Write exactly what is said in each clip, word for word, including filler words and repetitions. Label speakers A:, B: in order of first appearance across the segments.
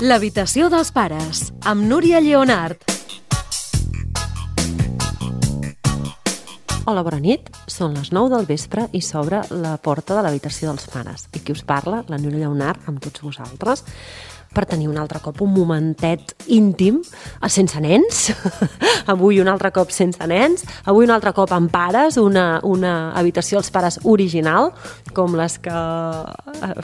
A: L'habitació dels pares, amb Núria Lleonart.
B: Hola, bona nit. Són les nou del vespre i s'obre la porta de l'habitació dels pares. I qui us parla, la Núria Lleonart, amb tots vosaltres, per tenir un altre cop un momentet íntim, sense nens, avui un altre cop sense nens, avui un altre cop amb pares, una, una habitació als pares original, com les que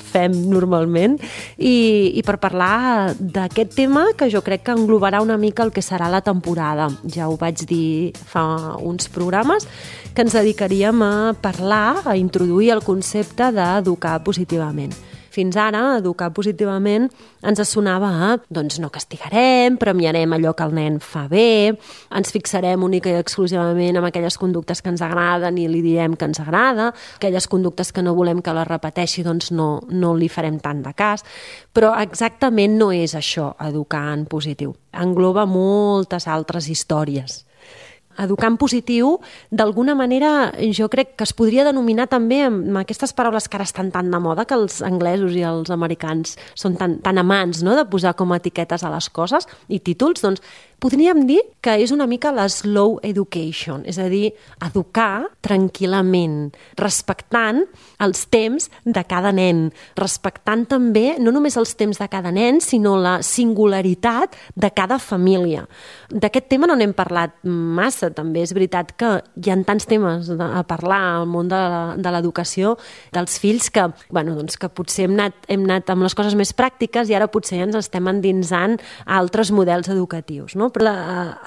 B: fem normalment, i, i per parlar d'aquest tema que jo crec que englobarà una mica el que serà la temporada. Ja ho vaig dir fa uns programes, que ens dedicaríem a parlar, a introduir el concepte d'educar positivament. Fins ara, educar positivament ens sonava a, doncs no castigarem, premiarem allò que el nen fa bé, ens fixarem única i exclusivament en aquelles conductes que ens agraden i li direm que ens agrada, aquelles conductes que no volem que les repeteixi, doncs no, no li farem tant de cas. Però exactament no és això, educar en positiu. Engloba moltes altres històries. Educar en positiu, d'alguna manera, jo crec que es podria denominar també amb aquestes paraules que ara estan tan de moda, que els anglesos i els americans són tan, tan amants, no?, de posar com a etiquetes a les coses i títols, doncs podríem dir que és una mica la slow education, és a dir, educar tranquil·lament, respectant els temps de cada nen, respectant també no només els temps de cada nen, sinó la singularitat de cada família. D'aquest tema no n'hem parlat massa, també és veritat que hi ha tants temes a parlar al món de l'educació dels fills que, bueno, doncs que potser hem anat, hem anat amb les coses més pràctiques i ara potser ens estem endinsant a altres models educatius, no? Però la,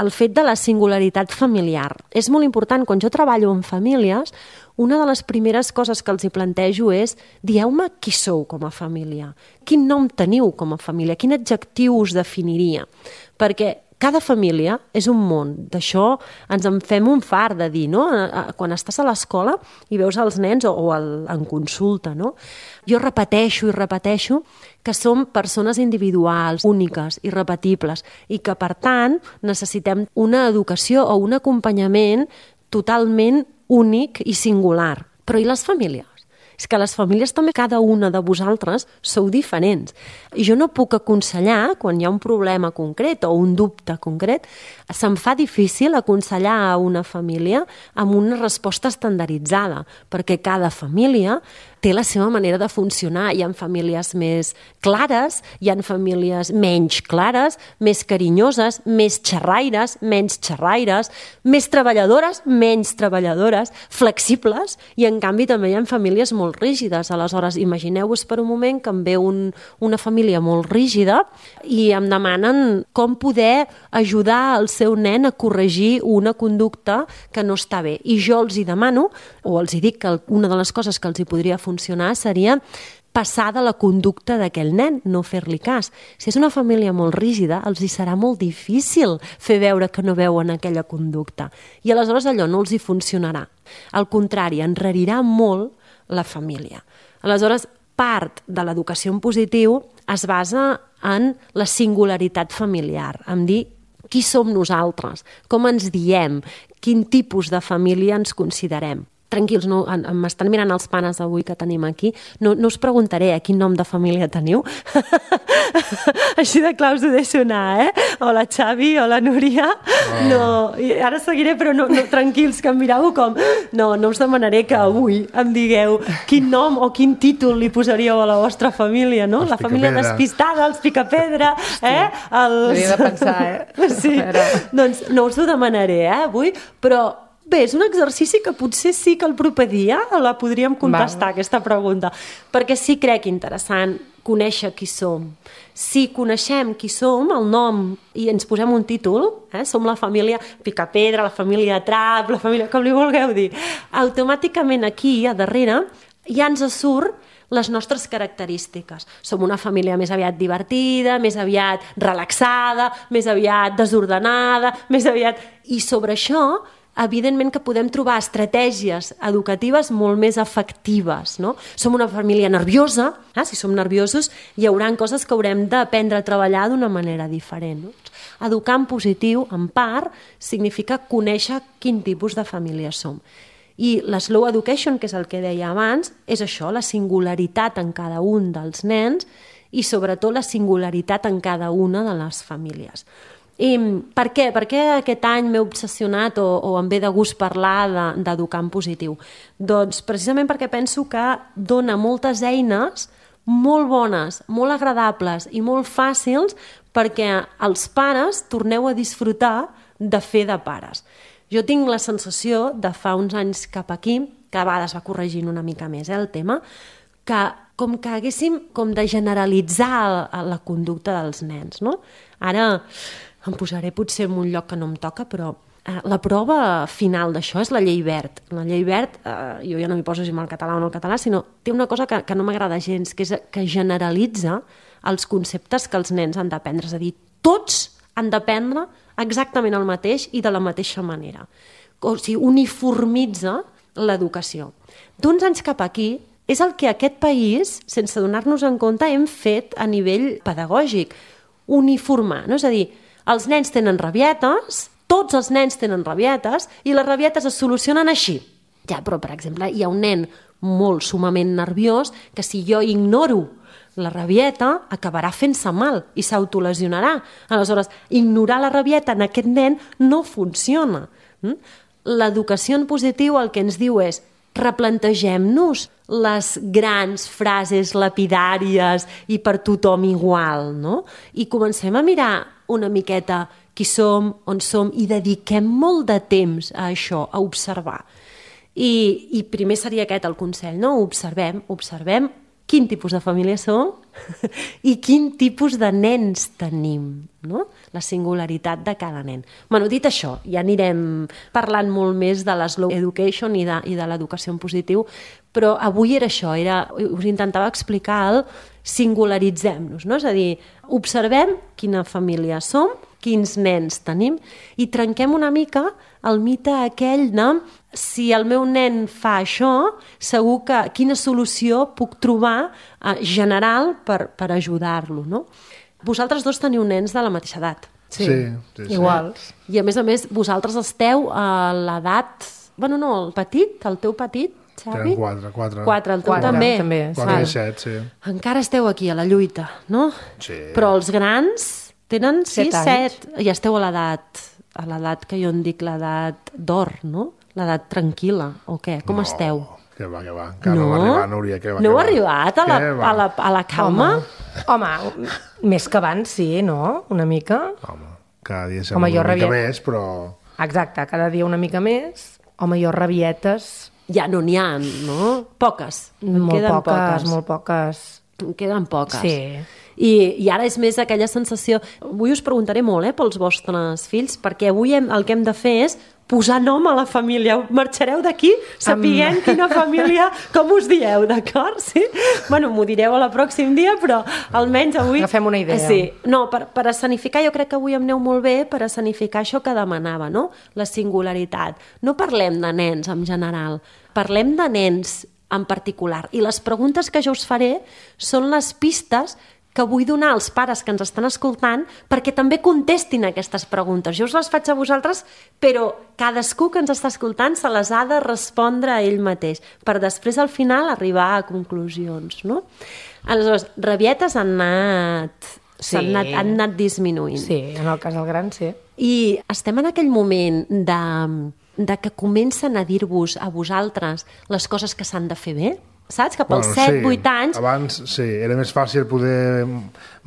B: el fet de la singularitat familiar és molt important. Quan jo treballo amb famílies, una de les primeres coses que els hi plantejo és: dieu-me qui sou com a família, quin nom teniu com a família, quin adjectiu us definiria, perquè cada família és un món. D'això ens en fem un fart de dir, no? Quan estàs a l'escola i veus els nens o, o el, en consulta, no? Jo repeteixo i repeteixo que som persones individuals, úniques, irrepetibles, i que, per tant, necessitem una educació o un acompanyament totalment únic i singular. Però i les famílies? És que les famílies també, cada una de vosaltres, sou diferents. I jo no puc aconsellar, quan hi ha un problema concret o un dubte concret, se'm fa difícil aconsellar a una família amb una resposta estandarditzada, perquè cada família té la seva manera de funcionar. Hi ha famílies més clares, hi ha famílies menys clares, més carinyoses, més xerraires, menys xerraires, més treballadores, menys treballadores, flexibles, i en canvi també hi ha famílies molt rígides. Aleshores, imagineu-vos per un moment que em ve un, una família molt rígida i em demanen com poder ajudar el seu nen a corregir una conducta que no està bé. I jo els hi demano, o els hi dic que una de les coses que els hi podria funcionar seria passar de la conducta d'aquell nen, no fer-li cas. Si és una família molt rígida, els hi serà molt difícil fer veure que no veuen aquella conducta. I aleshores allò no els hi funcionarà. Al contrari, enrarirà molt la família. Aleshores, part de l'educació en positiu es basa en la singularitat familiar, en dir qui som nosaltres, com ens diem, quin tipus de família ens considerem. Tranquils, no, m'estan mirant els panes avui que tenim aquí. No, no us preguntaré a quin nom de família teniu. Així de clar us ho deixo anar, eh? Hola, Xavi, hola, Núria. Oh. No, ara seguiré, però no, no, tranquils, que em mireu com... No, no us demanaré que avui em digueu quin nom o quin títol li posaríeu a la vostra família, no? Els la família Picapedra. Despistada, els Picapedra, eh? Els...
C: Hauria de pensar, eh?
B: Sí, doncs no us ho demanaré, eh, avui, però... Bé, és un exercici que potser sí que el proper dia la podríem contestar, Val. Aquesta pregunta, perquè sí crec interessant conèixer qui som. Si coneixem qui som, el nom, i ens posem un títol, eh? Som la família Picapedra, la família Trap, la família... com li vulgueu dir, automàticament aquí, a darrere, ja ens surt les nostres característiques. Som una família més aviat divertida, més aviat relaxada, més aviat desordenada, més aviat... I sobre això, evidentment que podem trobar estratègies educatives molt més efectives, no? Som una família nerviosa, eh? Si som nerviosos hi haurà coses que haurem d'aprendre a treballar d'una manera diferent, no? Educar en positiu, en part, significa conèixer quin tipus de família som. I la slow education, que és el que deia abans, és això, la singularitat en cada un dels nens i sobretot la singularitat en cada una de les famílies. I per què? Per què aquest any m'he obsessionat o, o em ve de gust parlar d'educar en positiu? Doncs precisament perquè penso que dona moltes eines molt bones, molt agradables i molt fàcils perquè els pares torneu a disfrutar de fer de pares. Jo tinc la sensació de fa uns anys cap aquí, que a vegades va corregint una mica més eh, el tema, que com que haguéssim com de generalitzar la conducta dels nens, no? Ara em posaré potser en un lloc que no em toca, però eh, la prova final d'això és la llei Wert. La llei Wert, eh, jo ja no m'hi poso si en el català o en el català, sinó té una cosa que, que no m'agrada gens, que és que generalitza els conceptes que els nens han d'aprendre. És a dir, tots han d'aprendre exactament el mateix i de la mateixa manera. O sigui, uniformitza l'educació. D'uns anys cap aquí, és el que aquest país, sense donar-nos en compte, hem fet a nivell pedagògic. Uniformar, no? És a dir, els nens tenen rabietes, tots els nens tenen rabietes, i les rabietes es solucionen així. Ja, però, per exemple, hi ha un nen molt sumament nerviós que si jo ignoro la rabieta acabarà fent-se mal i s'autolesionarà. Aleshores, ignorar la rabieta en aquest nen no funciona. L'educació en positiu el que ens diu és replantegem-nos les grans frases lapidàries i per tothom igual, no? I comencem a mirar una miqueta qui som, on som, i dediquem molt de temps a això, a observar. I, i primer seria aquest el consell, no? Observem, observem quin tipus de família som i quin tipus de nens tenim, no? La singularitat de cada nen. Bueno, dit això, ja anirem parlant molt més de la slow education i de, i de l'educació en positiu, però avui era això, era, us intentava explicar el singularitzem-nos, no? És a dir, observem quina família som, quins nens tenim i trenquem una mica el mite aquell de si el meu nen fa això, segur que quina solució puc trobar eh, general per, per ajudar-lo, no? Vosaltres dos teniu nens de la mateixa edat.
C: Sí, sí, sí, sí.
B: Iguals. I a més a més, vosaltres esteu a l'edat... Bueno, no, el petit, el teu petit, Xavi?
C: Tenen quatre, quatre.
B: Quatre, el teu
D: quatre,
B: també.
D: també.
C: Quatre i set, sí.
B: Encara esteu aquí a la lluita, no?
C: Sí.
B: Però els grans tenen sis,
D: Set
B: set, i esteu a l'edat, a l'edat que jo en dic l'edat d'or, no? L'edat tranquil·la, o què? Com
C: no,
B: esteu?
C: Que va, que va. Encara no, no va arribar, Núria, que va.
B: No heu
C: va.
B: arribat a la, a la, a la calma?
D: Home, home, més que abans, sí, no? Una mica.
C: Home, cada dia sembla
D: Home, jo
C: una mica
D: rabiet...
C: més, però...
D: Exacte, cada dia una mica més. Home, jo rabietes...
B: Ja no n'hi ha, no? Poques. En
D: Molt
B: queden
D: poques,
B: poques,
D: molt poques.
B: En queden poques.
D: Sí.
B: I, I ara és més aquella sensació... Avui us preguntaré molt eh, pels vostres fills, perquè avui hem, el que hem de fer és posar nom a la família. Marxareu d'aquí sapiguent um... quina família, com us dieu, d'acord? Sí? Bueno, m'ho direu el pròxim dia, però almenys avui...
D: Agafem una idea.
B: Sí. No, per, per escenificar, jo crec que avui em aneu molt bé per escenificar això que demanava, no? La singularitat. No parlem de nens en general, parlem de nens en particular. I les preguntes que jo us faré són les pistes que vull donar als pares que ens estan escoltant perquè també contestin aquestes preguntes. Jo us les faig a vosaltres, però cadascú que ens està escoltant se les ha de respondre a ell mateix, per després al final arribar a conclusions, no? Aleshores, rabietes han anat,
D: Sí.
B: han anat, han anat disminuint.
D: Sí, en el cas del gran, sí.
B: I estem en aquell moment de, de que comencen a dir-vos a vosaltres les coses que s'han de fer bé? Saps? Que pels
C: Bueno,
B: set,
C: sí.
B: vuit anys...
C: Abans, sí, era més fàcil poder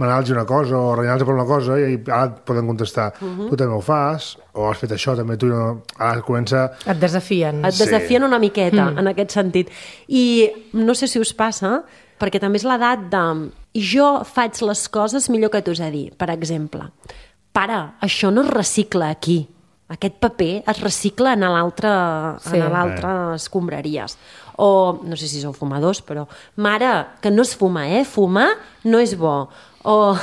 C: manar-los una cosa o renyar-los per una cosa i ara et poden contestar, uh -huh. tu també ho fas, o has fet això, també tu no... Ara comença...
D: Et desafien.
B: Et desafien una miqueta, mm. en aquest sentit. I no sé si us passa, perquè també és l'edat de... Jo faig les coses millor que tu, és a dir, per exemple, pare, això no es recicla aquí. Aquest paper es recicla en l'altre
D: Sí.
B: en l'altre escombraries. O, no sé si sou fumadors, però mare, que no es fuma, eh? Fumar no és bo. O,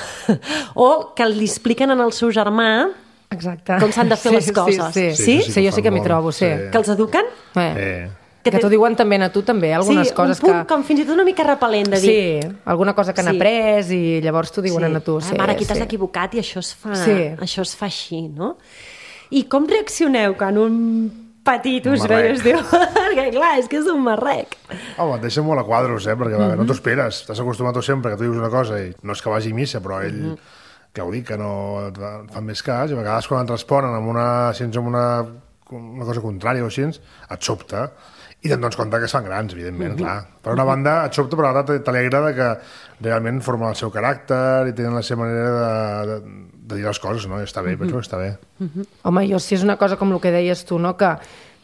B: o que li expliquen al seu germà
D: Exacte.
B: com s'han de fer
D: sí,
B: les coses.
D: Sí, sí,
B: Sí?
D: sí,
C: sí,
D: sí jo
C: ho
D: sí que
C: fan
D: m'hi
C: molt,
D: trobo, sí.
C: sí.
B: Que els eduquen?
D: Eh.
C: Eh.
D: Que, que t'ho diuen també a tu, també, algunes
B: sí,
D: coses
B: un punt
D: que...
B: com fins i tot una mica repel·lent de dir...
D: Sí, alguna cosa que han
B: Sí.
D: après i llavors t'ho diuen
B: sí.
D: a tu. Sí,
B: ah, mare, aquí t'has
D: sí.
B: equivocat i això es fa,
D: Sí.
B: això es fa així, no? I com reaccioneu quan un Petitos, no? I es diu, perquè clar, és que és un marrec.
C: Home, et deixa molt a quadros, eh? Perquè mm-hmm. no t'ho esperes. T'has acostumat tu sempre que tu dius una cosa i no és que vagi a missa, però ell, mm-hmm. que ho dic, que no et fan més cas, i a vegades quan et responen amb una, si ets amb una, una cosa contrària o així, et sobta. I te'n dones compte que es fan grans, evidentment, mm-hmm. clar. Per una banda, et sobta, però ara t'alegra que realment formen el seu caràcter i tenen la seva manera de, de, de dir les coses, no? I està bé, mm-hmm. penso que està bé.
D: Mm-hmm. Home, jo si és una cosa com el que deies tu, no? Que,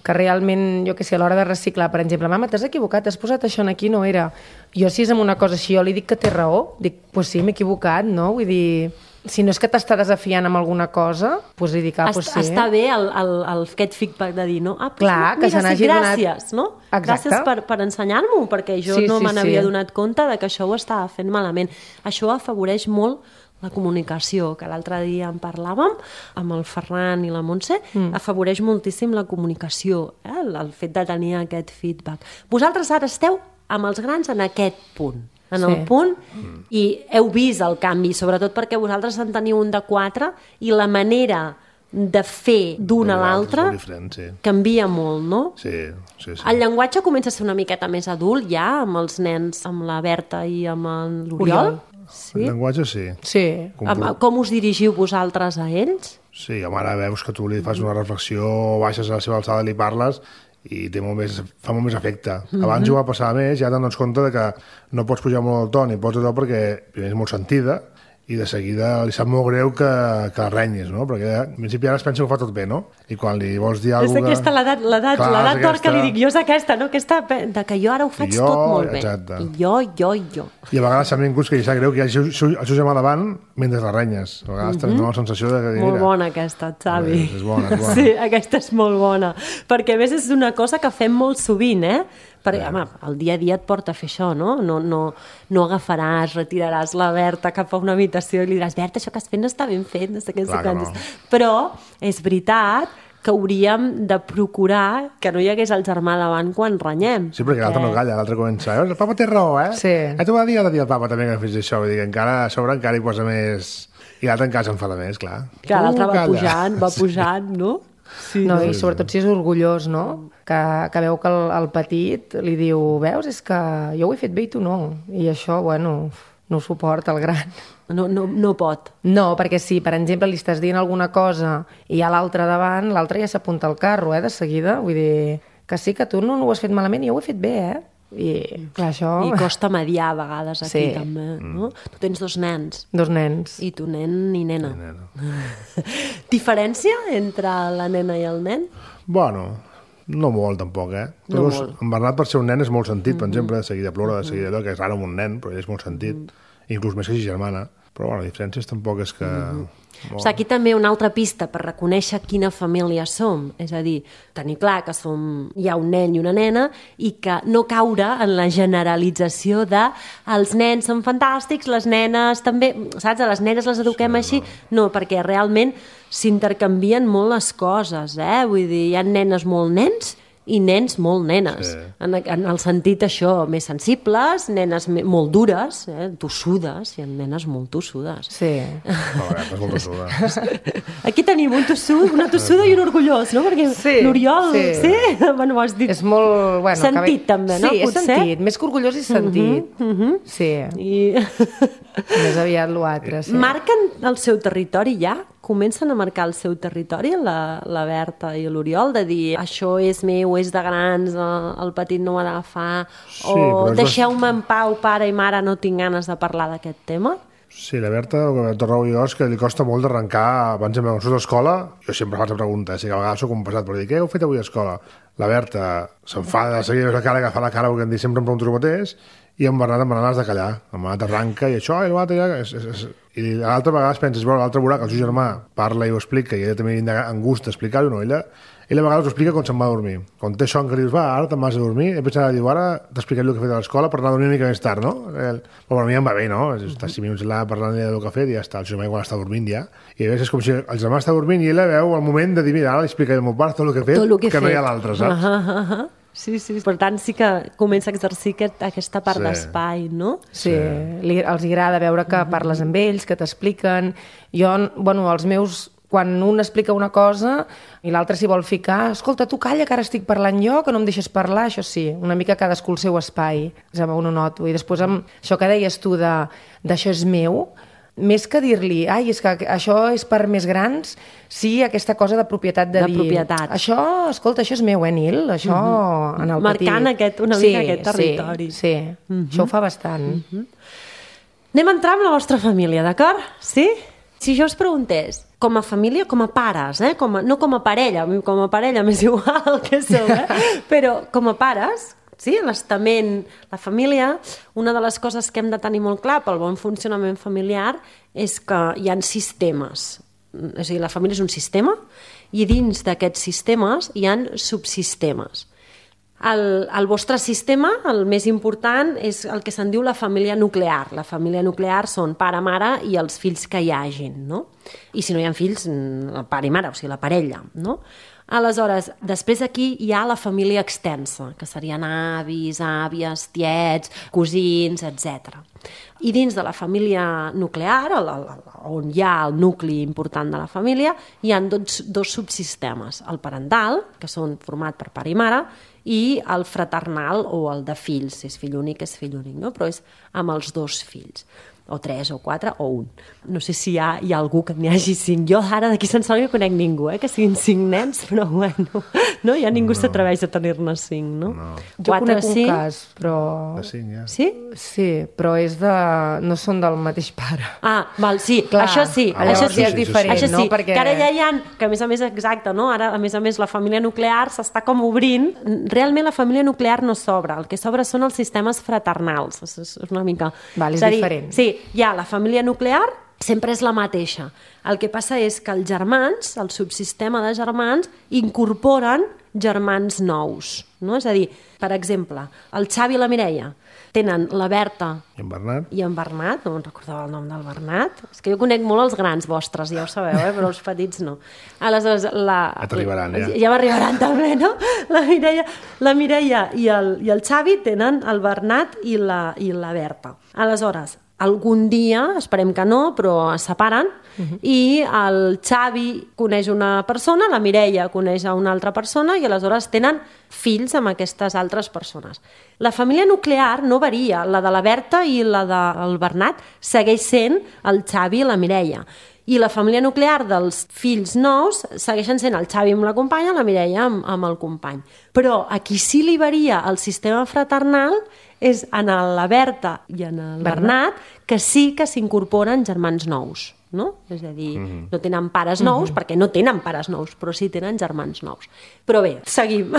D: que realment, jo que sé, a l'hora de reciclar, per exemple, mama, t'has equivocat, has posat això aquí, no era. Jo si és amb una cosa així, jo li dic que té raó, dic, pues sí, m'he equivocat, no? Vull dir... Si no és que t'està desafiant amb alguna cosa, doncs li dic, ah, doncs sí.
B: Està bé el, el, el, aquest feedback de dir, no? Ah, doncs
D: clar,
B: mira,
D: que se n'hagi donat...
B: Gràcies, no?
D: Exacte.
B: Gràcies per, per ensenyar-m'ho, perquè jo
D: sí,
B: no
D: sí,
B: me n'havia
D: sí.
B: donat compte de que això ho estava fent malament. Això afavoreix molt la comunicació, que l'altre dia en parlàvem amb el Ferran i la Montse, mm. afavoreix moltíssim la comunicació, eh? el, el fet de tenir aquest feedback. Vosaltres ara esteu amb els grans en aquest punt. en sí. el punt, mm. i heu vist el canvi, sobretot perquè vosaltres en teniu un de quatre i la manera de fer d'un a l'altre
C: sí.
B: canvia molt, no?
C: Sí, sí, sí.
B: El llenguatge comença a ser una miqueta més adult ja, amb els nens, amb la Berta i amb l'Oriol? Sí?
C: El llenguatge sí.
D: Sí.
C: Com,
B: com us dirigiu vosaltres a ells?
C: Sí, home, ara veus que tu li fas una reflexió, baixes a la seva alçada, li parles i té molt més, fa molt més efecte. Mm-hmm. Abans ho va passar més, ja te'n dones compte de que no pots pujar molt el to ni pots allò perquè primer és molt sentida i de seguida li sap molt greu que, que la renyis, no? Perquè en principi ara es pensa que ho fa tot bé, no? I quan li vols dir alguna cosa...
B: És aquesta l'edat l'edat d'or que li dic, jo és aquesta, no? Aquesta, de que jo ara ho faig jo, tot molt bé.
C: Exacte.
B: I jo, jo, jo.
C: I a vegades s'ha vingut que li sap greu que hi hagi el seu, el seu germà davant mentre la renyes. A vegades mm-hmm. tens la sensació de que...
B: Molt
C: mira,
B: bona aquesta, Xavi.
C: És, és bona, és bona.
B: Sí, aquesta és molt bona. Perquè a més és una cosa que fem molt sovint, eh? Perquè, home, el dia a dia et porta a fer això, no? No, no, no agafaràs, retiraràs la Berta cap a una habitació i li diràs, Berta, això que has fet no està ben fet, no sé què, no sé no. Però és veritat que hauríem de procurar que no hi hagués el germà davant quan renyem.
C: Sí, perquè l'altre no calla, l'altre comença, el papa té raó, eh?
D: Sí.
C: Eh, tu va dir l'altre dia el papa també que fes això, vull dir que encara a sobre encara hi posa més... I l'altre encara s'enfada més, clar.
B: Clar, l'altre va pujant, va pujant, no?
D: Sí, no, i sobretot si és orgullós, no? Que, que veu que el, el petit li diu, veus, és que jo ho he fet bé i tu no. I això, bueno, no ho suporta el gran.
B: No, no, no pot.
D: No, perquè si, per exemple, li estàs dient alguna cosa i hi ha l'altre davant, l'altre ja s'apunta al carro, eh, de seguida. Vull dir que sí, que tu no, no ho has fet malament i jo ho he fet bé, eh? I, clar, això...
B: I costa mediar a vegades aquí,
D: sí.
B: també. No? Mm. Tu tens dos nens.
D: Dos nens.
B: I tu nen i nena.
C: I nena.
B: Diferència entre la nena i el nen?
C: Bueno, no molt, tampoc, eh?
B: No
C: Però
B: molt.
C: En Bernat, per ser un nen, és molt sentit, per exemple, de seguida plora, de seguida allò, que és raro amb un nen, però ell és molt sentit. Mm. Inclús més que si germana. Però, bueno, la diferència tampoc és que... Mm-hmm.
B: O sigui, aquí també una altra pista per reconèixer quina família som. És a dir, tenir clar que som, hi ha un nen i una nena i que no caure en la generalització de els nens són fantàstics, les nenes també, saps? A les nenes les eduquem sí, així. No. no, perquè realment s'intercanvien molt les coses, eh? Vull dir, hi ha nenes molt nens i nens molt nenes, sí. en, en el sentit això, més sensibles, nenes molt dures, eh, tossudes, hi ha nenes molt tossudes.
D: Sí.
C: No, és molt tossuda.
B: Aquí tenim un tossud, una tossuda i un orgullós, no? Perquè
D: sí,
B: l'Oriol, sí?
D: sí?
B: Bueno, ho has dit.
D: És molt... Bueno,
B: sentit,
D: que...
B: també, no?
D: Sí, és
B: Potser?
D: sentit, més que orgullós i sentit. Uh -huh, uh -huh. Sí.
B: I...
D: més aviat l'altre, sí.
B: Marquen el seu territori ja? Comencen a marcar el seu territori, la, la Berta i l'Oriol, de dir això és meu, és de grans, el, el petit no ho ha d'agafar,
C: sí,
B: o deixeu-me
C: bast...
B: en pau, pare i mare, no tinc ganes de parlar d'aquest tema?
C: Sí, la Berta, el que torno jo és que li costa molt d'arrencar, per exemple, quan surts d'escola, jo sempre faig la pregunta, eh? Sí que a vegades soc un passat, però dic, què heu fet avui a escola? La Berta s'enfada de seguida, la cara, agafa la cara, perquè em dic sempre em pregunto el mateix, i en Bernat, en Bernat has de callar. En Bernat arranca i això, i l'altre ja... És, és, és... I l'altra vegada penses, bueno, l'altre veurà que el seu germà parla i ho explica, i ella també en gust d'explicar-ho, no? Ella, ella a vegades ho explica quan se'n va a dormir. Quan té son que dius, va, ara te'n vas a dormir, i després diu, ara t'explicaré el que he fet a l'escola per anar a dormir una mica més tard, no? El... Però a mi em va bé, no? Està cinc minuts allà parlant del que ha fet i ja està, el seu germà quan està dormint ja. I a vegades és com si el germà està dormint i ella veu el moment de dir, mira, ara li explicaré al meu pare tot el que he fet,
B: tot que,
C: que
B: he
C: no
B: fet.
C: Hi ha l'altre, saps?
B: Uh -huh, uh -huh. Sí, sí. Per tant, sí que comença a exercir aquest, aquesta part
C: sí.
B: d'espai, no?
D: Sí, sí. Li, els agrada veure que parles amb ells, que t'expliquen. Jo, bueno, els meus quan un explica una cosa i l'altre s'hi vol ficar, escolta, tu calla, que ara estic parlant jo, que no em deixes parlar, això sí, una mica cadascú el seu espai, ja ho noto. I després amb això que deies tu de, d'això és meu, més que dir-li, ai, és que això és per més grans, sí, aquesta cosa de propietat de,
B: de
D: dir,
B: propietat.
D: Això, escolta, això és meu, eh, Nil? Això mm-hmm. en el petit.
B: Marcant aquest, una
D: sí,
B: mica aquest territori.
D: Sí, sí. Mm-hmm. Això ho fa bastant.
B: Mm-hmm. Anem a entrar amb la vostra família, d'acord? Sí? Si jo us preguntés, com a família, com a pares, eh? com a, no com a parella, com a parella m'és igual que sou, eh? Però com a pares, sí, l'estament, la família, una de les coses que hem de tenir molt clar pel bon funcionament familiar és que hi ha sistemes. És a dir, la família és un sistema i dins d'aquests sistemes hi ha subsistemes. El, el vostre sistema, el més important, és el que se'n diu la família nuclear. La família nuclear són pare, mare i els fills que hi hagin, no? I si no hi ha fills, el pare i mare, o sigui, la parella, no? Aleshores, després aquí hi ha la família extensa, que serien avis, àvies, tiets, cosins, etcètera. I dins de la família nuclear, on hi ha el nucli important de la família, hi ha dos, dos subsistemes. El parental, que són format per pare i mare, i el fraternal o el de fills, si és fill únic, és fill únic, no? Però és amb els dos fills, o tres, o quatre, o un. No sé si hi ha, hi ha algú que n'hi hagi cinc. Jo ara d'aquí se'n sona que conec ningú, eh? Que siguin cinc nens, però bueno, no? Ja ningú no. s'atreveix a tenir-ne cinc, no? no.
D: Jo quatre, conec un cinc... cas, però...
C: De cinc, ja.
B: Sí?
D: Sí, però és de... no són del mateix pare.
B: Ah, val, sí,
D: clar,
B: això sí,
D: ah,
B: això sí,
D: és diferent,
B: això sí,
D: no? Perquè...
B: que ara ja hi ha, que a més a més, exacte, no? Ara, a més a més, la família nuclear s'està com obrint. Realment la família nuclear no s'obre, el que s'obre són els sistemes fraternals, és una mica...
D: Val, és, és dir, diferent.
B: Sí, hi ha la família nuclear, sempre és la mateixa. El que passa és que els germans, el subsistema de germans, incorporen germans nous, no? És a dir, per exemple, el Xavi i la Mireia tenen la Berta
C: i en Bernat,
B: i en Bernat, no me'n recordava el nom del Bernat, és que jo conec molt els grans vostres, ja ho sabeu, eh? Però els petits no. Aleshores, la...
C: Ja t'arribaran, ja.
B: Ja m'arribaran també, no? La Mireia, la Mireia i, el, i el Xavi tenen el Bernat i la, i la Berta. Aleshores, algun dia, esperem que no, però es separen, uh-huh. i el Xavi coneix una persona, la Mireia coneix a una altra persona i aleshores tenen fills amb aquestes altres persones. La família nuclear no varia, la de la Berta i la del Bernat segueix sent el Xavi i la Mireia. I la família nuclear dels fills nous segueixen sent el Xavi amb la companya, la Mireia amb, amb el company. Però a qui sí li varia el sistema fraternal és en la Berta i en el Bernat, que sí que s'incorporen germans nous, no? És a dir, mm-hmm. no tenen pares nous, mm-hmm. perquè no tenen pares nous, però sí tenen germans nous. Però bé, seguim.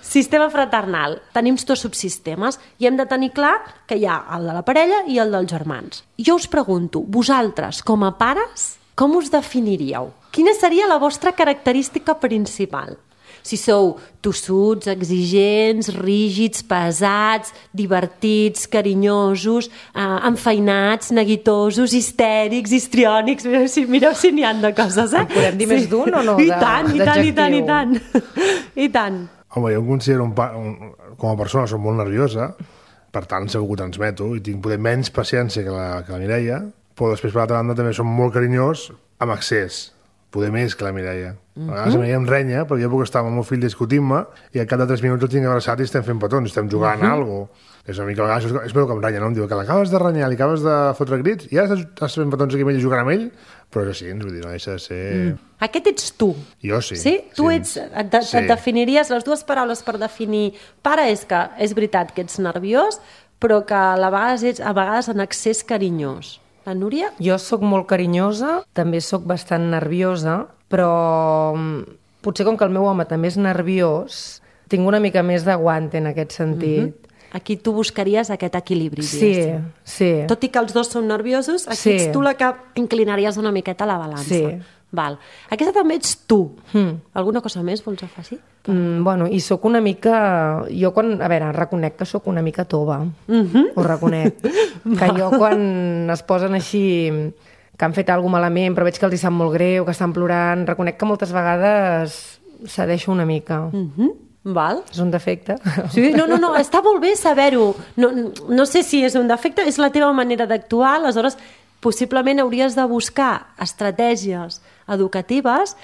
B: Sistema fraternal. Tenim dos subsistemes i hem de tenir clar que hi ha el de la parella i el dels germans. Jo us pregunto, vosaltres, com a pares, com us definiríeu? Quina seria la vostra característica principal? Si sou tossuts, exigents, rígids, pesats, divertits, carinyosos, eh, enfeinats, neguitosos, histèrics, histriònics... Mireu si, mireu si n'hi ha de coses, eh?
D: En podem dir sí. més d'un o no?
B: I tant, i tant, i tant, i tant. I tant.
C: Home, jo em considero un, pa, un, com a persona soc molt nerviosa, per tant segur que ho transmeto i tinc poder menys paciència que la, que la Mireia, però després per l'altra banda també som molt carinyós amb excés, poder més que la Mireia. A vegades mm-hmm. em renya, perquè jo puc estar amb el meu fill discutint-me i al cap de tres minuts el tinc abraçat i estem fent petons, estem jugant mm-hmm. a alguna cosa. És una mica, a vegades, és veu que em renya, no? Em diu que l'acabes de renyar, li acabes de fotre crits i ara estàs fent petons aquí amb ell i jugant amb ell, però és així, ens vull dir, no deixa de ser... Mm.
B: Aquest ets tu.
C: Jo sí.
B: Sí? Tu
C: sí.
B: ets, et, de, sí. et definiries, les dues paraules per definir pare és que és veritat que ets nerviós, però que a vegades ets a vegades en excés carinyós. La Núria?
D: Jo sóc molt carinyosa, també sóc bastant nerviosa, però potser com que el meu home també és nerviós, tinc una mica més d'aguant en aquest sentit. Mm-hmm.
B: Aquí tu buscaries aquest equilibri.
D: Sí, sí.
B: Tot i que els dos són nerviosos, aquí
D: sí.
B: ets tu la que inclinaries una miqueta la balança.
D: Sí.
B: Val. Aquesta també ets tu.
D: Mm.
B: Alguna cosa més vols afegir?
D: Mm, bueno, i sóc una mica... Jo quan... A veure, reconec que sóc una mica tova.
B: Mm-hmm.
D: Ho reconec. Que jo quan es posen així... que han fet alguna cosa malament, però veig que els hi sap molt greu, que estan plorant, reconec que moltes vegades cedeixo una mica.
B: Mm-hmm. Val.
D: És un defecte.
B: Sí, no, no, no, està molt bé saber-ho. No, no sé si és un defecte, és la teva manera d'actuar, aleshores possiblement hauries de buscar estratègies educatives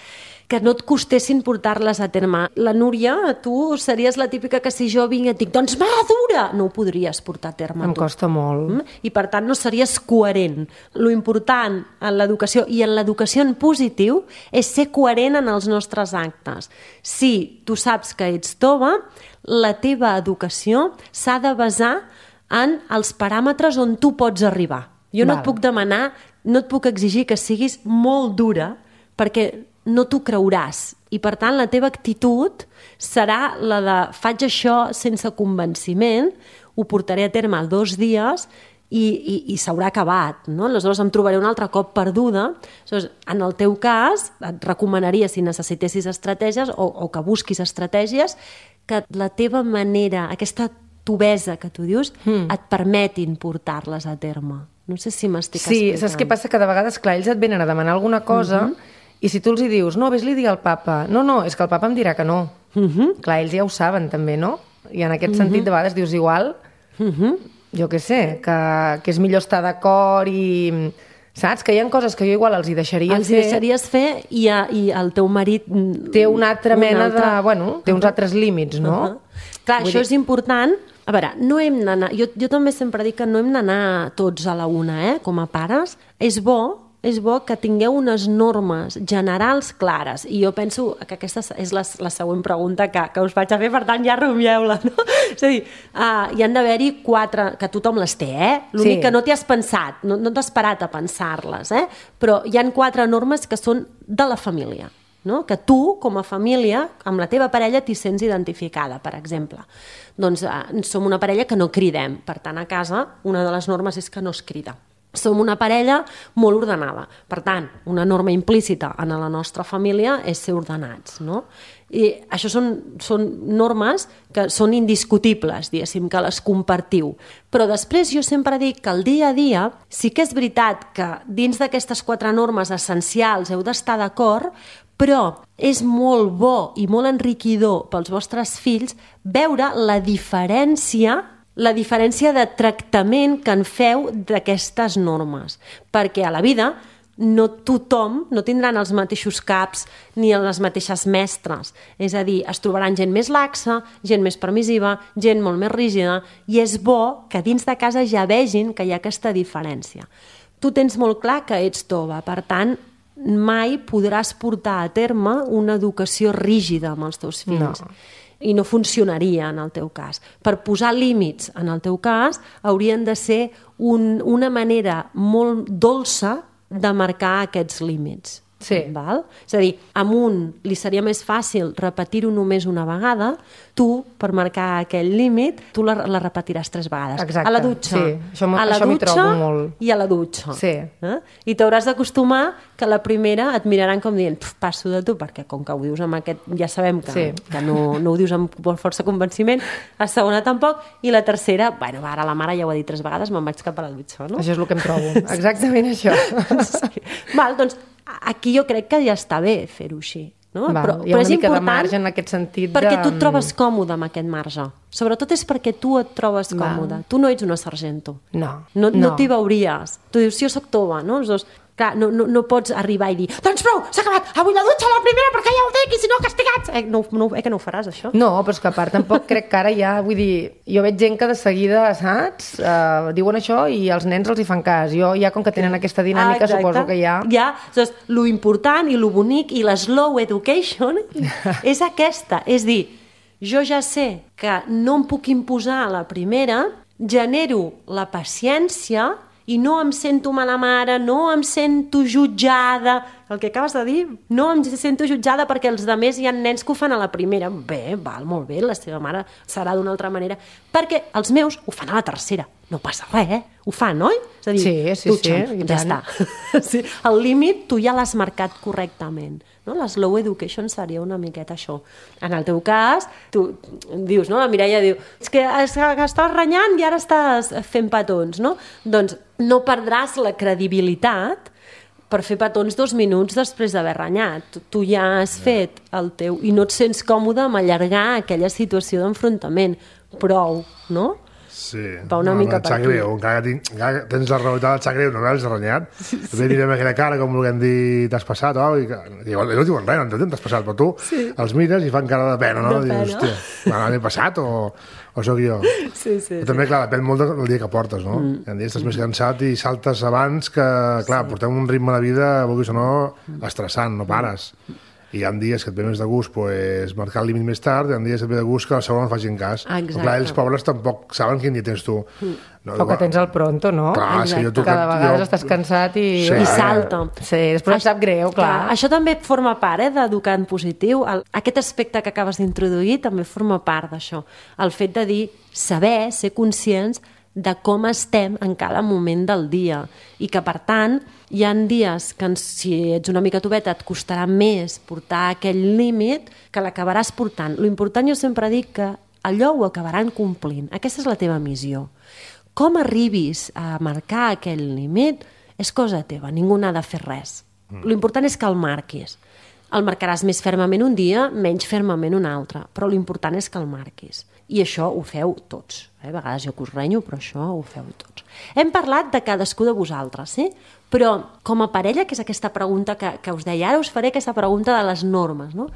B: que no et costessin portar-les a terme. La Núria, tu series la típica que si jo vinc i et dic, doncs madura, no ho podries portar a terme.
D: Em
B: tu.
D: costa molt.
B: Mm? I per tant no series coherent. Lo important en l'educació i en l'educació en positiu és ser coherent en els nostres actes. Si tu saps que ets tova, la teva educació s'ha de basar en els paràmetres on tu pots arribar. Jo no
D: Val.
B: et puc demanar, no et puc exigir que siguis molt dura perquè no t'ho creuràs. I, per tant, la teva actitud serà la de faig això sense convenciment, ho portaré a terme dos dies i, i, i s'haurà acabat. No? Aleshores em trobaré un altre cop perduda. Aleshores, en el teu cas, et recomanaria, si necessitessis estratègies o, o que busquis estratègies, que la teva manera, aquesta tovesa que tu dius, mm. et permetin portar-les a terme. No sé si m'estic
D: sí,
B: explicant.
D: Sí, saps què passa? Que de vegades, clar, ells et venen a demanar alguna cosa mm-hmm. i si tu els hi dius, no, vés-li a dir al papa, no, no, és que el papa em dirà que no. Mm-hmm. Clar, ells ja ho saben també, no? I en aquest mm-hmm. sentit de vegades dius igual, mm-hmm. jo què sé, que, que és millor estar d'acord i... Saps? Que hi ha coses que jo igual els hi deixaria
B: els
D: fer.
B: Els deixaries fer i, a, i el teu marit...
D: Té una altra mena altre... de... Bueno, té uns altres límits, no?
B: Uh-huh. Clar, Vull això dir... és important. A veure, no hem d'anar... Jo, jo també sempre dic que no hem d'anar tots a la una, eh? Com a pares. És bo és bo que tingueu unes normes generals clares. I jo penso que aquesta és la, la següent pregunta que, que us vaig a fer, per tant ja rumieu-la, no? És a dir, uh, hi han d'haver-hi quatre, que tothom les té, eh? L'únic sí. que no t'hi has pensat, no, no t'has parat a pensar-les, eh? Però hi han quatre normes que són de la família, no? Que tu, com a família, amb la teva parella t'hi sents identificada, per exemple. Doncs uh, som una parella que no cridem, per tant a casa una de les normes és que no es crida. Som una parella molt ordenada. Per tant, una norma implícita en la nostra família és ser ordenats, no? I això són, són normes que són indiscutibles, diguéssim, que les compartiu. Però després jo sempre dic que el dia a dia sí que és veritat que dins d'aquestes quatre normes essencials heu d'estar d'acord, però és molt bo i molt enriquidor pels vostres fills veure la diferència la diferència de tractament que en feu d'aquestes normes. Perquè a la vida no tothom, no tindran els mateixos caps ni les mateixes mestres. És a dir, es trobaran gent més laxa, gent més permissiva, gent molt més rígida, i és bo que dins de casa ja vegin que hi ha aquesta diferència. Tu tens molt clar que ets tova, per tant, mai podràs portar a terme una educació rígida amb els teus fills. No. I no funcionaria en el teu cas. Per posar límits en el teu cas haurien de ser un, una manera molt dolça de marcar aquests límits.
D: Sí.
B: Val? És a dir, a un li seria més fàcil repetir-ho només una vegada, tu, per marcar aquell límit, tu la, la repetiràs tres vegades.
D: Exacte.
B: A la dutxa,
D: sí. això
B: a la
D: això
B: dutxa
D: molt.
B: I a la dutxa.
D: Sí.
B: Eh? I t'hauràs d'acostumar que la primera et miraran com dient passo de tu, perquè com que ho dius amb aquest... Ja sabem que,
D: sí.
B: que no, no ho dius amb força convenciment, la segona tampoc, i la tercera, bueno, ara la mare ja ho ha dit tres vegades, me'n vaig cap a la dutxa, no?
D: Això és el que em trobo, exactament això.
B: Sí. Val, doncs, aquí jo crec que ja està bé fer-ho així. No?
D: Val,
B: però,
D: hi ha
B: però
D: una mica
B: important,
D: de marge en aquest sentit.
B: Perquè
D: de...
B: tu et trobes còmode amb aquest marge. Sobretot és perquè tu et trobes còmode.
D: Val.
B: Tu no ets una sargento.
D: No.
B: No, no.
D: no.
B: t'hi veuries. Tu dius, si jo soc tova, no? Doncs, clar, no, no, no pots arribar i dir doncs prou, s'ha acabat, avui la dutxa la primera perquè ja ho dic i si no castigats. Eh, no, no, eh que no ho faràs, això?
D: No, però és que a part tampoc crec que ara ja, vull dir, jo veig gent que de seguida, saps, uh, diuen això i els nens els hi fan cas. Jo ja, com que tenen aquesta dinàmica, ah, suposo que ja...
B: Ja, doncs, lo important i lo bonic i la slow education és aquesta. És dir, jo ja sé que no em puc imposar a la primera, genero la paciència i no em sento mala mare, no em sento jutjada, el que acabes de dir, no em sento jutjada perquè els altres hi ha nens que ho fan a la primera. Bé, val, molt bé, la seva mare serà d'una altra manera, perquè els meus ho fan a la tercera. No passa res, eh? Ho fan, oi? És a dir,
D: sí, sí,
B: dutxen,
D: sí,
B: ja està. Sí, el límit tu ja l'has marcat correctament. No? La slow education seria una miqueta això. En el teu cas, tu dius, no? La Mireia diu, és que estàs renyant i ara estàs fent petons, no? Doncs no perdràs la credibilitat per fer petons dos minuts després d'haver renyat. Tu, tu ja has fet el teu... I no et sents còmode amb allargar aquella situació d'enfrontament. Prou, no?
C: Sí.
B: Va una
C: no,
B: mica
C: et
B: per
C: sap
B: aquí.
C: greu, encara, tinc, encara tens la realitat, et sap greu, no l'has renyat. Sí, sí. Tu direm aquella cara, com volguem dir, t'has passat, oh, i, i igual, no diuen res, no entenem, t'has passat, però tu sí. els mires i fan cara de pena, no?
B: De
C: Dius,
B: pena.
C: hòstia, m'he passat o, o sóc jo?
B: Sí, sí,
C: però també, clar, depèn molt del dia que portes, no? Mm. Hi ha dies estàs més cansat i saltes abans que, clar, sí. portem un ritme de vida, vulguis o no, estressant, no pares. I hi ha dies que et ve més de gust pues, marcar el límit més tard, i hi ha dies que et ve de gust que la segona no facin cas.
B: Exacte.
C: Clar, els pobres tampoc saben quin dia tens tu.
D: No, o que tens el pronto, no?
C: Clar, sí, jo tu,
D: Cada vegada
C: jo...
D: estàs cansat i...
C: Sí.
B: I salta.
D: Sí, després em sap greu, clar.
B: clar. Això també forma part eh, d'educar en positiu. El, aquest aspecte que acabes d'introduir també forma part d'això. El fet de dir, saber, ser conscients de com estem en cada moment del dia i que, per tant, hi ha dies que si ets una mica tubeta et costarà més portar aquell límit que l'acabaràs portant. L'important, jo sempre dic que allò ho acabaran complint. Aquesta és la teva missió. Com arribis a marcar aquell límit és cosa teva, ningú n'ha de fer res. Mm. L'important és que el marquis. El marcaràs més fermament un dia, menys fermament un altre, però l'important és que el marquis. I això ho feu tots. Eh? A vegades jo que us renyo, però això ho feu tots. Hem parlat de cadascú de vosaltres, sí? Però com a parella, que és aquesta pregunta que, que us deia, ara us faré aquesta pregunta de les normes, no?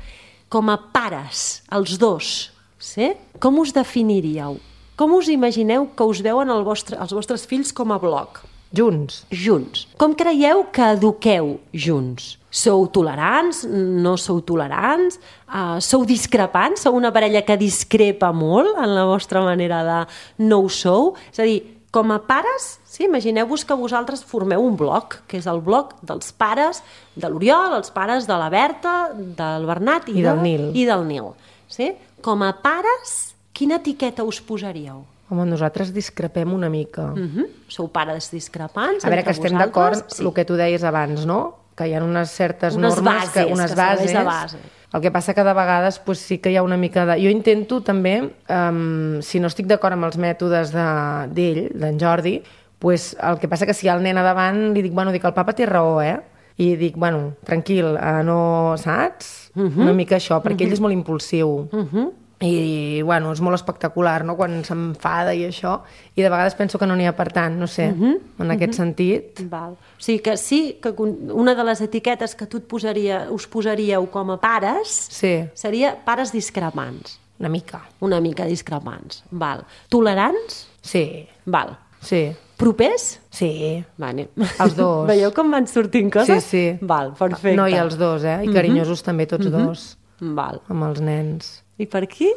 B: Com a pares, els dos, sí? Com us definiríeu? Com us imagineu que us veuen el vostre, els vostres fills com a bloc?
D: Junts.
B: Junts. Com creieu que eduqueu junts? Sou tolerants? No sou tolerants? Uh, sou discrepants? Sou una parella que discrepa molt en la vostra manera de no ho sou? És a dir, com a pares, sí, imagineu-vos que vosaltres formeu un bloc, que és el bloc dels pares de l'Oriol, els pares de la Berta, del Bernat i,
D: I del
B: de,
D: Nil.
B: I del Nil. Sí? Com a pares, quina etiqueta us posaríeu?
D: Home, nosaltres discrepem una mica.
B: Uh-huh. Sou pares discrepants
D: A veure, que estem d'acord,
B: sí.
D: el que tu deies abans, no? Que hi ha unes certes
B: unes
D: normes,
B: bases,
D: que, unes
B: que
D: bases.
B: De base.
D: El que passa que de vegades pues, sí que hi ha una mica de... Jo intento també, um, si no estic d'acord amb els mètodes d'ell, de, d'en Jordi, pues, el que passa que si hi ha el nen a davant, li dic, bueno, dic, el papa té raó, eh? I dic, bueno, tranquil, uh, no saps? Uh-huh. Una mica això, perquè uh-huh. ell és molt impulsiu. Uh-huh. I, bueno, és molt espectacular, no?, quan s'enfada i això, i de vegades penso que no n'hi ha per tant, no sé, uh-huh. en aquest uh-huh. sentit.
B: Val. O sigui que sí, que una de les etiquetes que tu et posaria, us posaríeu com a pares
D: sí.
B: seria pares discrepants.
D: Una mica.
B: Una mica discrepants, val. Tolerants?
D: Sí.
B: Val.
D: Sí.
B: Propers?
D: Sí.
B: Vale.
D: Els dos.
B: Veieu com van sortint coses?
D: Sí, sí.
B: Val, perfecte.
D: No, i els dos, eh? I carinyosos uh-huh. també, tots uh-huh. dos.
B: Val.
D: Amb els nens.
B: I per aquí?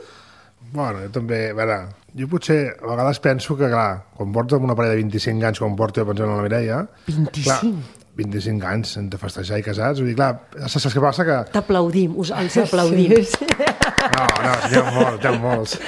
C: Bueno, jo també, a veure, jo potser a vegades penso que, clar, quan porto amb una parella de vint-i-cinc anys, quan porto jo pensant en la Mireia...
B: vint-i-cinc?
C: Clar, vint-i-cinc anys entre festejar i casats, vull dir, clar, saps què passa? Que...
B: T'aplaudim, us els aplaudim.
C: Sí, sí. No, no, n'hi ha molts, n'hi ha molts.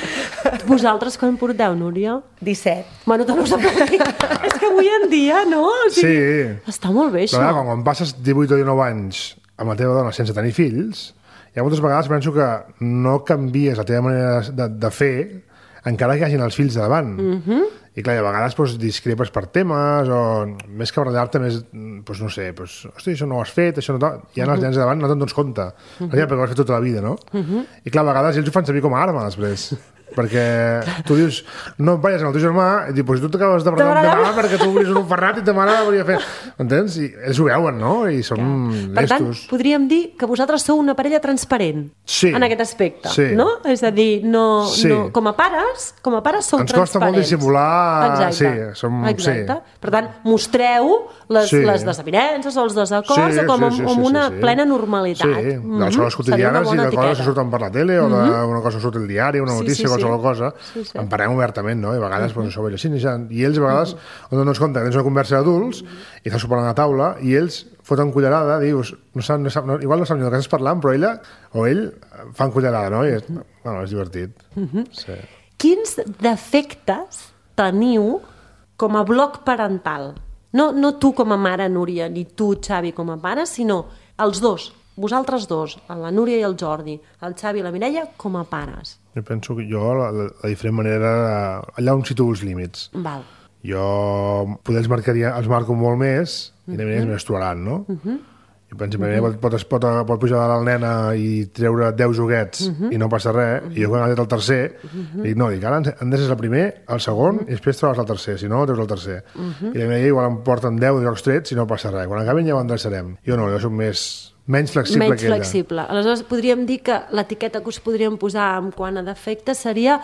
B: Vosaltres quan porteu, Núria?
D: disset.
B: Bueno, te us aplaudim. És que avui en dia, no? O sigui,
C: sí.
B: Està molt bé, això.
C: Però, clar, quan passes divuit o dinou anys amb la teva dona sense tenir fills, hi ha moltes vegades penso que no canvies la teva manera de, de fer encara que hi hagin els fills de davant. Uh-huh. I clar, a vegades doncs, discrepes per temes o més que barallar-te més, doncs, no sé, doncs, hosti, això no ho has fet, això no... I ja uh-huh. els nens de davant no te'n dones compte. Uh-huh. Perquè ho has fet tota la vida, no? Uh-huh. I clar, a vegades ells ho fan servir com a arma després. Perquè tu dius, no vayas amb el teu germà, i dius, pues tu t'acabes de barallar amb ta mare perquè tu obris un ferrat i ta mare volia fer... Entens? I ells ho veuen, no? I són
B: ja.
C: lestos.
B: Per tant, podríem dir que vosaltres sou una parella transparent
C: sí.
B: en aquest aspecte,
C: sí.
B: no? És a dir, no,
C: sí.
B: no, com a pares, com a pares sou
C: Ens
B: transparents.
C: costa molt dissimular...
B: Exacte.
C: Sí, som...
B: Exacte.
C: Sí.
B: Per tant, mostreu les,
C: sí.
B: les desavinences o els desacords
C: sí,
B: com
C: sí, sí,
B: amb
C: sí,
B: una
C: sí, sí.
B: plena normalitat.
C: Sí, de les coses quotidianes i de coses que surten per la tele o de una cosa que surt al diari, una notícia, sí, sí, qualsevol sí. cosa, sí, sí. en parlem obertament, no? I a vegades, uh-huh. doncs, això, així, i ells a vegades, uh-huh. on no ens compte que tens una conversa d'adults uh-huh. i estàs sopant a la taula i ells foten cullerada, dius, no sap, no sap, no, igual no sap ni del que estàs parlant, però ella o ell fan cullerada, no? I és, bueno, és divertit.
B: Uh-huh.
C: Sí.
B: Quins defectes teniu com a bloc parental? No, no tu com a mare, Núria, ni tu, Xavi, com a pare, sinó els dos, vosaltres dos, la Núria i el Jordi, el Xavi i la Mireia, com a pares.
C: Jo penso que jo, la, la, la diferent manera, allà on situo els límits.
B: Val.
C: Jo poder els, marcaria, els marco molt més i la Mireia és més tolerant, no? Uh-huh. I per exemple, uh-huh. pot, pot, pot pujar a la nena i treure deu joguets uh-huh. i no passa res, uh-huh. i jo quan he tret el tercer, uh-huh. dic, no, dic, ara han de ser el primer, el segon, uh-huh. i després trobes el tercer, si no, treus el tercer. Uh-huh. I la Mireia igual em porten deu jocs trets i no passa res. Quan acabin ja ho endreçarem. Jo no, jo soc més... menys flexible
B: menys
C: que ella.
B: Flexible. Aleshores, podríem dir que l'etiqueta que us podríem posar en quant a defecte seria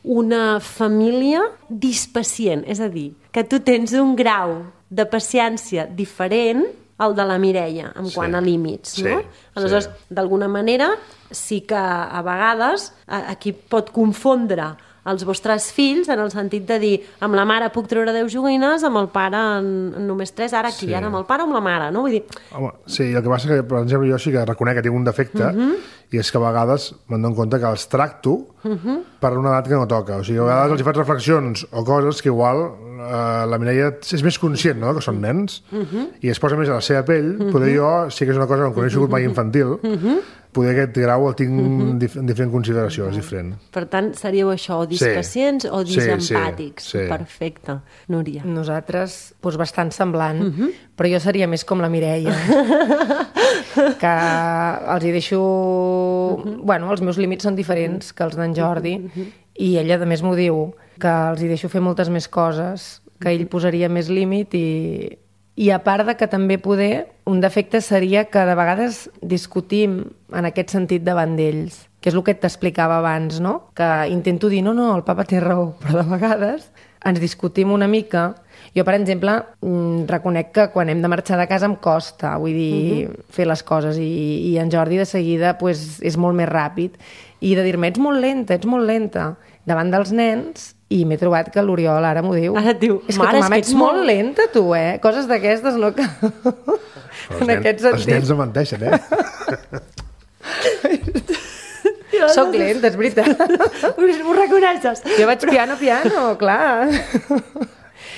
B: una família dispacient, és a dir, que tu tens un grau de paciència diferent al de la Mireia, en sí. quant a límits,
C: sí.
B: no? Aleshores, sí. d'alguna manera, sí que a vegades aquí pot confondre els vostres fills en el sentit de dir amb la mare puc treure deu joguines, amb el pare en, en només tres, ara aquí, sí. ara amb el pare o amb la mare, no? Vull dir...
C: Home, sí, el que passa que, per exemple, jo sí que reconec que tinc un defecte uh-huh. i és que a vegades me'n dono compte que els tracto uh-huh. per una edat que no toca. O sigui, a vegades els hi faig reflexions o coses que igual eh, la Mireia és més conscient, no?, que són nens uh-huh. i es posa més a la seva pell. Uh-huh. Poder jo, sí que és una cosa que no he sigut mai infantil, uh-huh. poder aquest grau el tinc uh-huh. dif en diferent consideració, és diferent.
B: Per tant, seríeu això, o dispacients sí. o disempàtics.
C: Sí, sí, sí.
B: Perfecte. Núria.
D: Nosaltres, doncs bastant semblant, uh-huh. però jo seria més com la Mireia, que els hi deixo... Uh-huh. Bueno, els meus límits són diferents que els d'en Jordi, uh-huh. i ella, a més, m'ho diu, que els hi deixo fer moltes més coses, que ell posaria més límit i... I a part de que també poder, un defecte seria que de vegades discutim en aquest sentit davant d'ells, que és el que t'explicava abans, no? Que intento dir, no, no, el papa té raó, però de vegades ens discutim una mica. Jo, per exemple, reconec que quan hem de marxar de casa em costa, vull dir, uh-huh. fer les coses, i, i en Jordi de seguida pues, és molt més ràpid, i de dir-me, ets molt lenta, ets molt lenta, davant dels nens. I m'he trobat que l'Oriol ara m'ho diu.
B: Ara et diu,
D: és que
B: mare,
D: tu, mama,
B: és que
D: ets molt lenta, tu, eh? Coses d'aquestes, no? Que...
C: en nen, aquest sentit. Els nens no menteixen, eh?
D: Soc lenta, és veritat.
B: Ho reconeixes.
D: Jo vaig piano, piano, clar.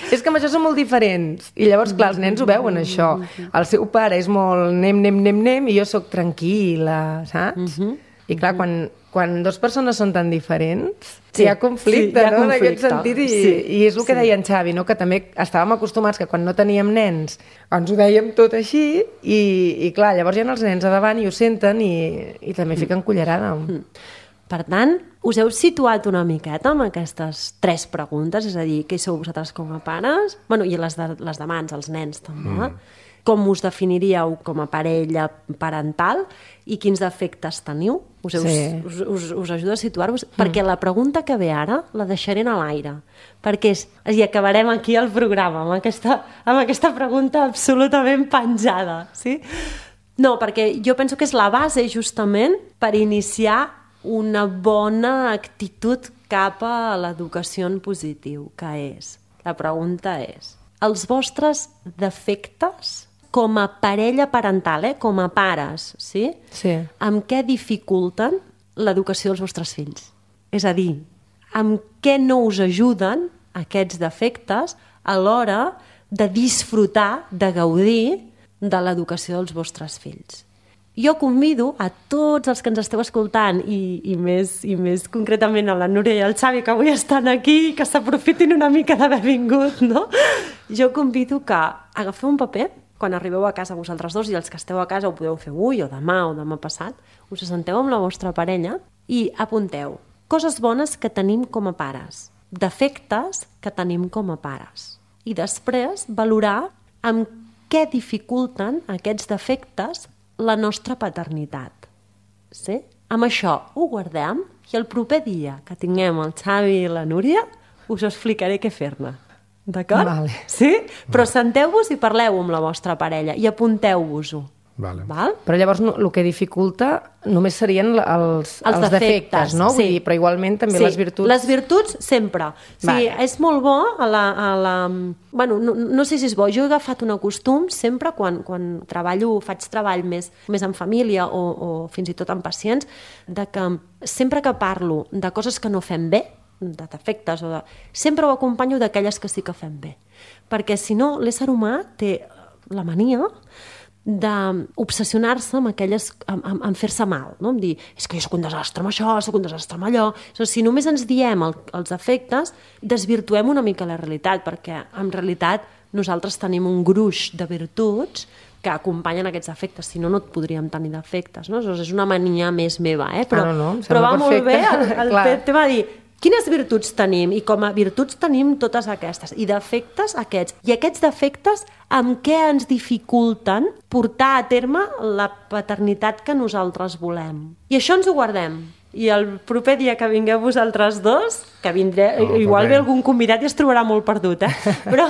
D: És que amb això són molt diferents. I llavors, clar, els nens ho veuen, això. El seu pare és molt nem, nem, nem, nem, i jo sóc tranquil·la, saps? Uh-huh. I clar, quan, quan dues persones són tan diferents, sí, hi ha conflicte, sí, hi ha no? conflicte. En aquest sentit, i, sí, i és el que sí. deia en Xavi, no? Que també estàvem acostumats que quan no teníem nens ens ho dèiem tot així, i, i clar, llavors hi ha els nens a davant i ho senten i, i també fiquen cullerada.
B: Mm. Per tant, us heu situat una miqueta amb aquestes tres preguntes, és a dir, què sou vosaltres com a pares? Bueno, i les de, les de mans, els nens també. Mm. Com us definiríeu com a parella parental i quins defectes teniu? Us, heu, sí. us, us, us ajuda a situar-vos? Mm. Perquè la pregunta que ve ara la deixaré a l'aire. Perquè és, i acabarem aquí el programa amb aquesta, amb aquesta pregunta absolutament penjada. Sí? No, perquè jo penso que és la base justament per iniciar una bona actitud cap a l'educació en positiu, que és, la pregunta és, els vostres defectes com a parella parental, eh? Com a pares, sí?
D: Sí.
B: Amb què dificulten l'educació dels vostres fills? És a dir, amb què no us ajuden aquests defectes a l'hora de disfrutar, de gaudir de l'educació dels vostres fills? Jo convido a tots els que ens esteu escoltant i, i, més, i més concretament a la Núria i al Xavi, que avui estan aquí, que s'aprofitin una mica d'haver vingut, no? Jo convido que agafeu un paper, quan arribeu a casa vosaltres dos, i els que esteu a casa ho podeu fer avui o demà o demà passat, us assenteu amb la vostra parella i apunteu coses bones que tenim com a pares, defectes que tenim com a pares, i després valorar amb què dificulten aquests defectes la nostra paternitat. Sí? Amb això ho guardem i el proper dia que tinguem el Xavi i la Núria us explicaré què fer-ne. D'acord?
D: Vale.
B: Sí? Però senteu-vos i parleu amb la vostra parella i apunteu-vos-ho.
C: Vale.
B: Val?
D: Però llavors no, el que dificulta només serien els, els, els defectes, defectes, no? Vull
B: sí.
D: dir, però igualment també
B: sí.
D: les virtuts...
B: Les virtuts sempre. Sí, vale. És molt bo a la... A la... Bueno, no, no sé si és bo. Jo he agafat un costum sempre quan, quan treballo, faig treball més, més en família o, o fins i tot amb pacients, de que sempre que parlo de coses que no fem bé, de defectes, o de... sempre ho acompanyo d'aquelles que sí que fem bé. Perquè si no, l'ésser humà té la mania d'obsessionar-se amb aquelles, amb, amb, amb fer-se mal, no? Amb dir, és que jo soc un desastre amb això, soc un desastre amb allò. O sigui, si només ens diem el, els efectes, desvirtuem una mica la realitat, perquè en realitat nosaltres tenim un gruix de virtuts que acompanyen aquests defectes, si no, no et podríem tenir defectes, no? És una mania més meva, eh? Però,
D: ah, no, no,
B: però va
D: perfecte.
B: molt bé el, el tema de dir quines virtuts tenim, i com a virtuts tenim totes aquestes, i defectes aquests. I aquests defectes amb què ens dificulten portar a terme la paternitat que nosaltres volem. I això ens ho guardem. I el proper dia que vingueu vosaltres dos, que vindré, no, igual ve algun convidat i es trobarà molt perdut, eh? Però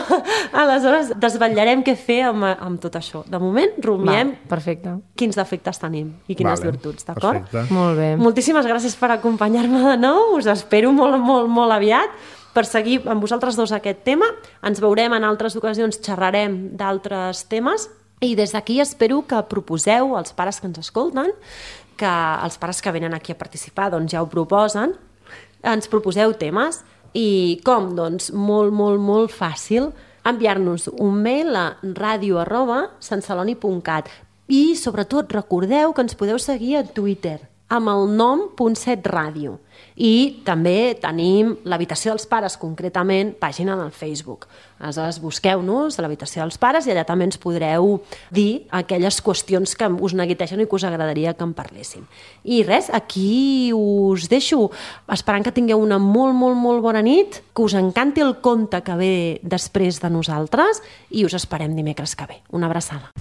B: aleshores desvetllarem què fer amb, amb tot això. De moment, rumiem
D: perfecte. Quins
B: defectes tenim i quines vale. virtuts, d'acord?
D: Molt bé.
B: Moltíssimes gràcies per acompanyar-me de nou, us espero molt, molt, molt aviat per seguir amb vosaltres dos aquest tema. Ens veurem en altres ocasions, xerrarem d'altres temes, i des d'aquí espero que proposeu als pares que ens escolten, que els pares que venen aquí a participar doncs ja ho proposen, ens proposeu temes i com? Doncs molt, molt, molt fàcil enviar-nos un mail a radio arroba santceloni punt cat i sobretot recordeu que ens podeu seguir a Twitter amb el nom punt set ràdio i també tenim l'Habitació dels Pares, concretament, pàgina del Facebook. Aleshores, busqueu-nos a l'Habitació dels Pares i allà també ens podreu dir aquelles qüestions que us neguitegen i que us agradaria que en parléssim. I res, aquí us deixo esperant que tingueu una molt, molt, molt bona nit, que us encanti el conte que ve després de nosaltres i us esperem dimecres que ve. Una abraçada.